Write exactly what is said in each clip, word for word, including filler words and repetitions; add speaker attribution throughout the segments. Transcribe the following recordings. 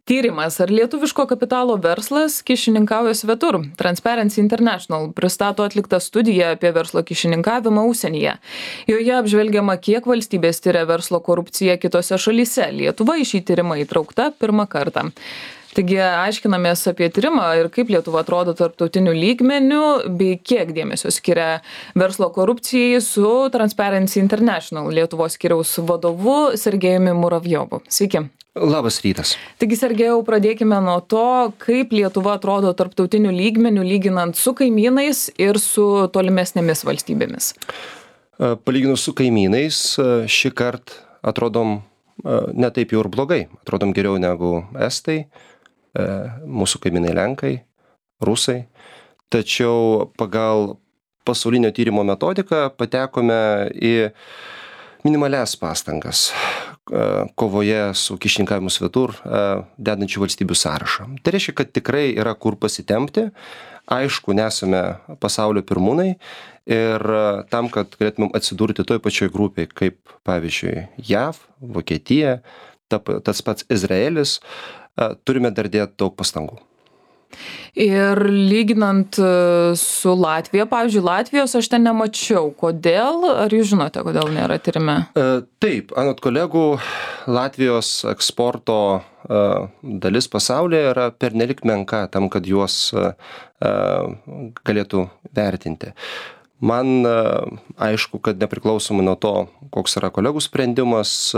Speaker 1: Tyrimas, ar lietuviško kapitalo verslas kyšininkauja svetur. Transparency International pristato atliktą studiją apie verslo kyšininkavimą užsienyje. Joje apžvelgiama, kiek valstybės tyria verslo korupciją kitose šalyse. Lietuva į šį tyrimą įtraukta pirmą kartą. Taigi aiškinamės apie tyrimą ir kaip Lietuva atrodo tarptautiniu lygmeniu, bei kiek dėmesio skiria verslo korupcijai su Transparency International Lietuvos skyriaus vadovu Sergejumi Muravjovu. Sveiki.
Speaker 2: Labas rytas.
Speaker 1: Taigi, Sergejau, pradėkime nuo to, kaip Lietuva atrodo tarptautiniu lygmeniu, lyginant su kaimynais ir su tolimesnėmis valstybėmis.
Speaker 2: Palyginus su kaimynais, šį kartą atrodom ne taip jau ir blogai. Atrodom geriau negu estai, mūsų kaimynai lenkai, rusai. Tačiau pagal pasaulinio tyrimo metodiką patekome į minimalias pastangas kovoje su kyšininkavimu svetur dedančių valstybių sąrašą. Tai reiškia, kad tikrai yra kur pasitempti. Aišku, nesame pasaulio pirmūnai ir tam, kad galėtumėm atsidurti toj pačioj grupėje, kaip pavyzdžiui J A V, Vokietija, ta, tas pats Izraelis, turime dar dėti daug pastangų.
Speaker 1: Ir lyginant su Latvija, pavyzdžiui, Latvijos aš ten nemačiau. Kodėl? Ar jūs žinote, kodėl nėra tyrime?
Speaker 2: Taip, anot kolegų, Latvijos eksporto dalis pasaulyje yra pernelik menka tam, kad juos galėtų vertinti. Man aišku, kad nepriklausomai nuo to, koks yra kolegų sprendimas,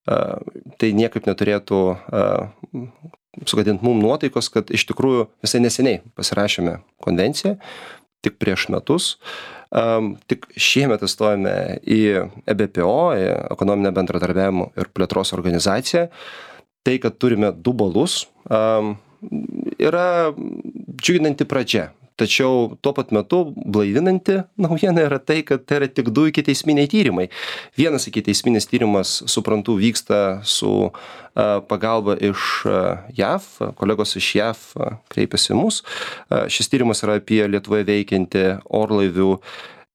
Speaker 2: tai niekaip neturėtų sugadinti mum nuotaikos, kad iš tikrųjų visai neseniai pasirašėme konvenciją, tik prieš metus. Um, tik šiemet įstojame į E B P O, į ekonominę bendradarbiavimo ir plėtros organizaciją. Tai, kad turime du balus, um, yra džiuginanti pradžia. Tačiau tuo pat metu blaivinanti naujiena yra tai, kad tai yra tik du ikiteisminiai tyrimai. Vienas ikiteisminis tyrimas, suprantu, vyksta su uh, pagalba iš uh, J A V, kolegos iš J A V uh, kreipiasi mus. Uh, šis tyrimas yra apie Lietuvoje veikianti orlaivių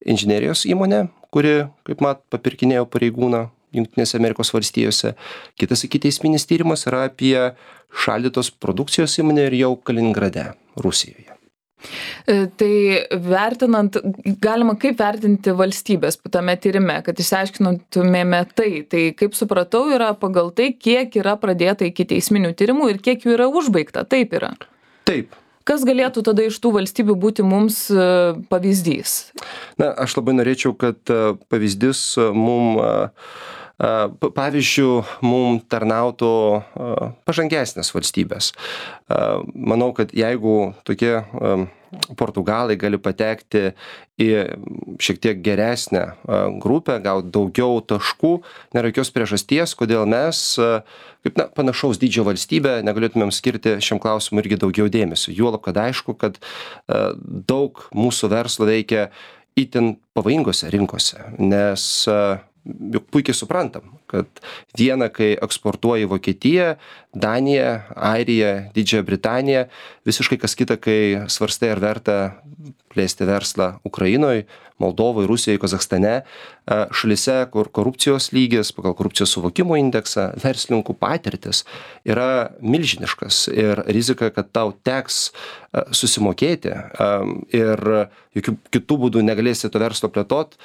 Speaker 2: inžinerijos įmonę, kuri, kaip mat, papirkinėjo pareigūną Jungtinėse Amerikos valstijose. Kitas ikiteisminis tyrimas yra apie šaldytos produkcijos įmonę ir jau Kaliningrade, Rusijoje.
Speaker 1: Tai vertinant, galima kaip vertinti valstybės tame tyrime, kad išsiaiškintumėme tai. Tai kaip supratau, yra pagal tai, kiek yra pradėta ikiteisminių tyrimų ir kiek jų yra užbaigta. Taip yra.
Speaker 2: Taip.
Speaker 1: Kas galėtų tada iš tų valstybių būti mums pavyzdys?
Speaker 2: Na, aš labai norėčiau, kad pavyzdys mum, pavyzdžių, mum tarnautų pažangesnės valstybės. Manau, kad jeigu tokie Portugalai gali patekti į šiek tiek geresnę grupę, gauti daugiau taškų, nėra jokios priežasties, kodėl mes, kaip na, panašaus dydžio valstybė, negalėtumėm skirti šiam klausimui irgi daugiau dėmesio. Juolab, kad aišku, kad daug mūsų verslo veikia itin pavojingose rinkose, nes juk puikiai suprantam, kad viena, kai eksportuoji Vokietiją, Daniją, Airiją, Didžiąją Britaniją, visiškai kas kita, kai svarstai ar verta plėsti verslą Ukrainoje, Moldovoje, Rusijoje, Kazachstane, šalyse, kur korupcijos lygis, pagal korupcijos suvokimo indeksą, verslininkų patirtis yra milžiniškas ir rizika, kad tau teks susimokėti ir jokių kitų būdų negalėsi to verslo plėtot,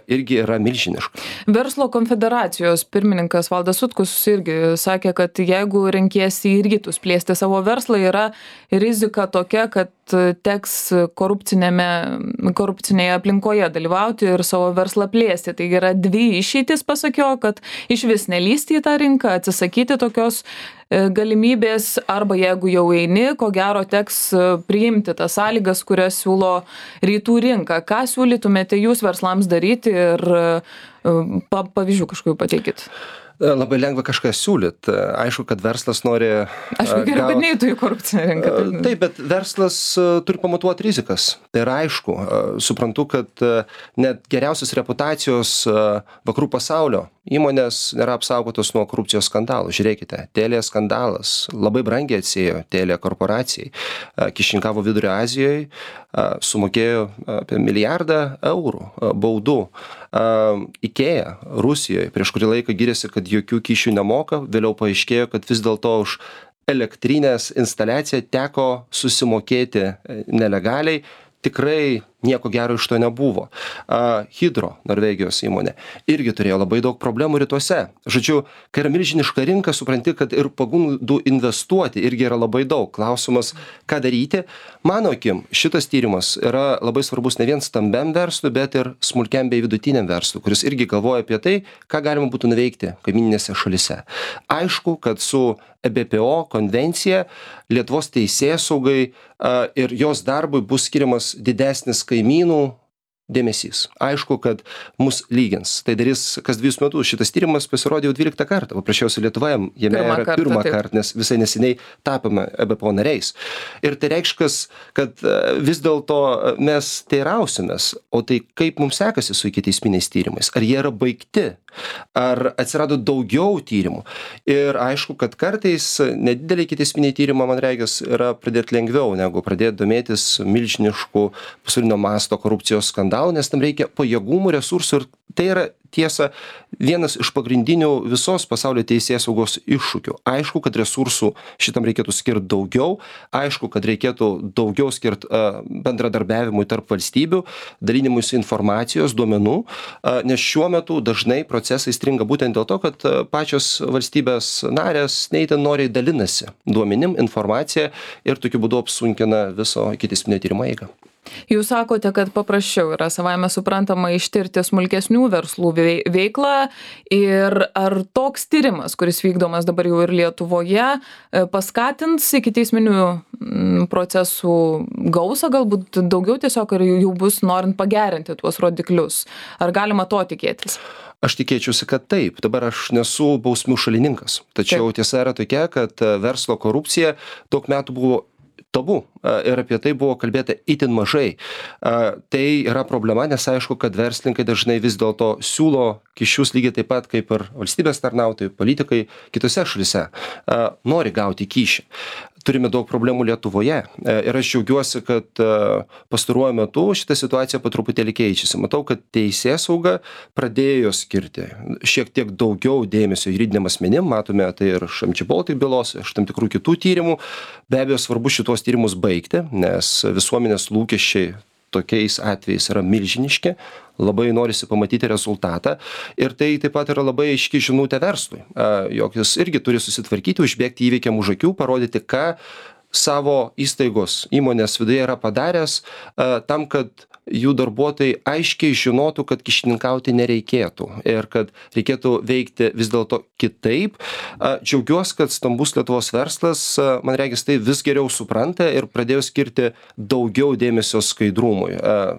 Speaker 2: irgi yra milžiniška.
Speaker 1: Verslo konfederacijos pirmininkas Valdas Sutkus irgi sakė, kad jeigu renkiesi į rytus plėsti savo verslą, yra rizika tokia, kad teks korupcinėje aplinkoje dalyvauti ir savo verslą plėsti. Taigi yra dvi išeitis, pasakiau, kad iš vis nelysti į tą rinką, atsisakyti tokios galimybės, arba jeigu jau eini, ko gero teks priimti tas sąlygas, kurias siūlo rytų rinka. Ką siūlytumėte jūs verslams daryti ir pavyzdžių kažkokių pateikit?
Speaker 2: Labai lengva kažką siūlyt. Aišku, kad verslas nori...
Speaker 1: Aišku, geriau, kad neįtų į korupcinę rinką.
Speaker 2: Taip, bet verslas turi pamatuoti rizikas. Tai yra aišku. Suprantu, kad net geriausios reputacijos vakarų pasaulio įmonės nėra apsaugotos nuo korupcijos skandalų. Žiūrėkite, Telia skandalas labai brangiai atsėjo Telia korporacijai. Kyšininkavo Vidurio Azijoje, sumokėjo apie milijardą eurų baudų. Ikea Rusijoje prieš kurį laiką gyrėsi, kad jokių kyšių nemoka, vėliau paaiškėjo, kad vis dėlto už elektrinės instaliaciją teko susimokėti nelegaliai. Tikrai nieko gero iš to nebuvo. Uh, Hydro, Norvegijos įmonė, irgi turėjo labai daug problemų rytuose. Žodžiu, kai yra milžiniška rinka, supranti, kad ir pagundų investuoti irgi yra labai daug. Klausimas, ką daryti. Mano akim, šitas tyrimas yra labai svarbus ne vien stambiam verslui, bet ir smulkiam bei vidutiniam verslui, kuris irgi galvoja apie tai, ką galima būtų nuveikti kaimininėse šalise. Aišku, kad su E B P O konvencija Lietuvos teisėsaugai uh, ir jos darbui bus skiriamas didesnis kaimynų dėmesys. Aišku, kad mus lygins. Tai darys kas dviejus metus. Šitas tyrimas pasirodė jau dvyliktą kartą. Paprasčiausiai Lietuvoje jame
Speaker 1: Pirmą
Speaker 2: yra
Speaker 1: kartą,
Speaker 2: pirmą
Speaker 1: taip.
Speaker 2: kartą, nes visai neseniai tapome E B P O nariais. Ir tai reiškia, kad uh, vis dėlto mes teirausimės, o tai kaip mums sekasi su ikiteisminiais tyrimais? Ar jie yra baigti? Ar atsirado daugiau tyrimų? Ir aišku, kad kartais nedideliai ikiteisminiai tyrimai, man regis, yra pradėti lengviau, negu pradėti domėtis milžiniškų pasaulinio masto korupcijos skandalų, nes tam reikia pajėgumų, resursų ir tai yra tiesa vienas iš pagrindinių visos pasaulio teisėsaugos iššūkių. Aišku, kad resursų šitam reikėtų skirti daugiau, aišku, kad reikėtų daugiau skirti uh, bendradarbiavimui tarp valstybių, dalinimuisi informacijos, duomenų, uh, nes šiuo metu dažnai procesai stringa būtent dėl to, kad uh, pačios valstybės narės neįtin noriai dalinasi duomenim, informacija ir tokiu būdu apsunkina viso ikiteisminio tyrimo eigą.
Speaker 1: Jūs sakote, kad paprasčiau yra savaime suprantama ištirti smulkesnių verslų vei- veiklą ir ar toks tyrimas, kuris vykdomas dabar jau ir Lietuvoje, e, paskatins ikiteisminių mm, procesų gausą, galbūt daugiau tiesiog ir jų bus norint pagerinti tuos rodiklius. Ar galima to tikėtis?
Speaker 2: Aš tikėčiausi, kad taip. Dabar aš nesu bausmių šalininkas. Tačiau
Speaker 1: Taip.
Speaker 2: tiesa yra tokia, kad e, verslo korupcija daug metų buvo tabu a, ir apie tai buvo kalbėta itin mažai. A, Tai yra problema, nes aišku, kad verslininkai dažnai vis dėlto siūlo kyšius lygiai taip pat kaip ir valstybės tarnautojai, politikai kitose šalise a, nori gauti kyšį. Turime daug problemų Lietuvoje e, ir aš džiaugiuosi, kad e, pastaruoju metu šita situacija po truputėlį keičiasi. Matau, kad teisėsauga pradėjo skirti šiek tiek daugiau dėmesio juridiniam asmenim, matome tai ir iš M G Baltic bylos, iš tam tikrų kitų tyrimų. Be abejo, svarbu šitos tyrimus baigti, nes visuomenės lūkesčiai tokiais atvejais yra milžiniški, labai norisi pamatyti rezultatą ir tai taip pat yra labai aiški žinutė verslui, a, jog jis irgi turi susitvarkyti, užbėgti įvykiam už akių, parodyti, ką savo įstaigos įmonės viduje yra padaręs a, tam, kad jų darbuotojai aiškiai žinotų, kad kišininkauti nereikėtų ir kad reikėtų veikti vis dėlto kitaip. A, Džiaugiuosi, kad stambus Lietuvos verslas, a, man regis, tai vis geriau supranta ir pradėjo skirti daugiau dėmesio skaidrumui. A,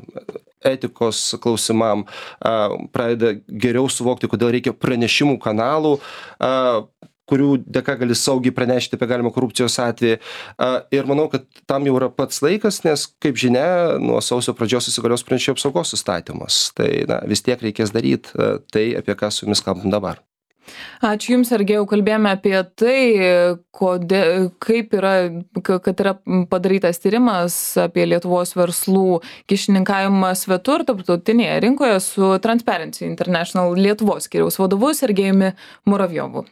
Speaker 2: etikos klausimam, a, pradeda geriau suvokti, kodėl reikia pranešimų kanalų, a, kurių dėka gali saugiai pranešti apie galimą korupcijos atvejį. A, Ir manau, kad tam jau yra pats laikas, nes, kaip žinia, nuo sausio pradžios įsigalios pranešėjų apsaugos įstatymas. Tai na, vis tiek reikės daryti a, tai, apie ką su jumis kalbam dabar.
Speaker 1: Ačiū Jums, Sergejau, kalbėjome apie tai, kodė, kaip yra, kad yra padarytas tyrimas apie Lietuvos verslų kišininkavimą svetur tarptautinėje rinkoje su Transparency International Lietuvos skyriaus vadovu Sergejumi Muravjovu.